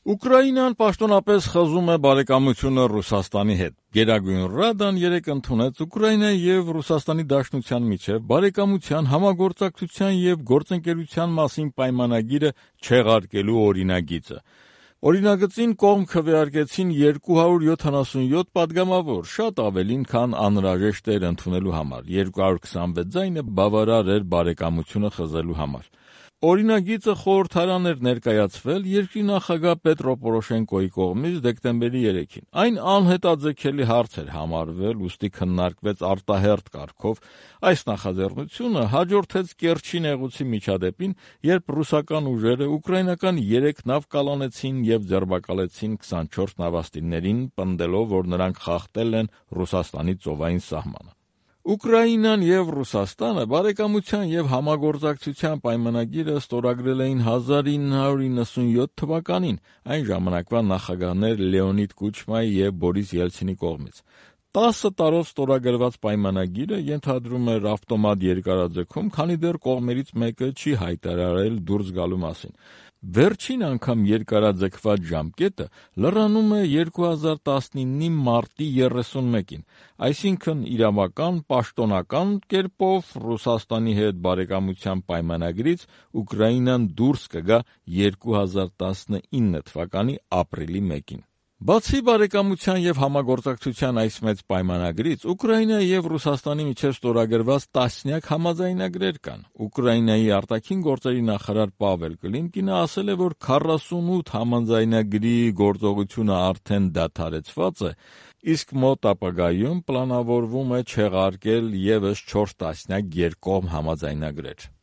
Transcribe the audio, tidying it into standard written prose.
Ուկրաինան պաշտոնապես խզում է բարեկամությունը Ռուսաստանի հետ։ Գերագույն Ռադան երեկ ընդունեց Ուկրաինայի եւ Ռուսաստանի Դաշնության միջեւ բարեկամության, համագործակցության եւ գործընկերության մասին պայմանագիրը չեղարկելու օրինագիծը։ Օրինագծին կողմ քվեարկեցին 277 падգամավոր, շատ ավելին, քան անհրաժեշտ էր ընդունելու համար։ 226 ձայնը բավարար էր բարեկամությունը խզելու համար։ Օրինագիծը խորհրդարան էր ներկայացվել երկրի նախագահ Պետրո Պորոշենկոյի կողմից դեկտեմբերի 3-ին։ Այն անհետաձգելի հարց էր համարվել, ուստի քննարկվեց արտահերթ կարգով։ Այս նախաձեռնությունը հաջորդեց Կերչի նեղուցի միջադեպին, երբ ռուսական ուժերը ուկրաինական 3 նավ կալանեցին եւ ձերբակալեցին 24 նավաստիներին, պնդելով, որ նրանք խախտել են Ռուսաստանի ծովային սահմանը։ Ուկրաինան եւ Ռուսաստանը բարեկամության եւ համագործակցության պայմանագիրը ստորագրել էին 1997 թվականին, այն ժամանակվա նախագահներ Լեոնիդ Կուչմայի եւ Բորիս Ելցինի կողմից։ 10 տարով ստորագրված պայմանագիրը ենթադրում էր ավտոմատ երկարաձգում, քանի դեռ կողմերից մեկը չի հայտարարել դուրս գալու մասին։ Վերջին անգամ երկարաձգված ժամկետը լրանում է 2019-ի մարտի 31-ին, այսինքն իրավական, պաշտոնական կերպով Ռուսաստանի հետ բարեկամության պայմանագրից Ուկրաինան դուրս կգա 2019 թվականի ապրիլի 1-ին։ Բացի բարեկամության եւ համագործակցության այս մեծ պայմանագրից, Ուկրաինայի եւ Ռուսաստանի միջեւ ստորագրված տասնյակ համաձայնագրեր կան։ Ուկրաինայի արտաքին գործերի նախարար Պավել Կլիմկինը ասել է, որ 48 համաձայնագրի գործողությունը արդեն դադարեցված է, իսկ մոտ ապագայում պլանավորվում է չեղարկել եւս 4 տասնյակ երկկողմ համաձայնագրեր։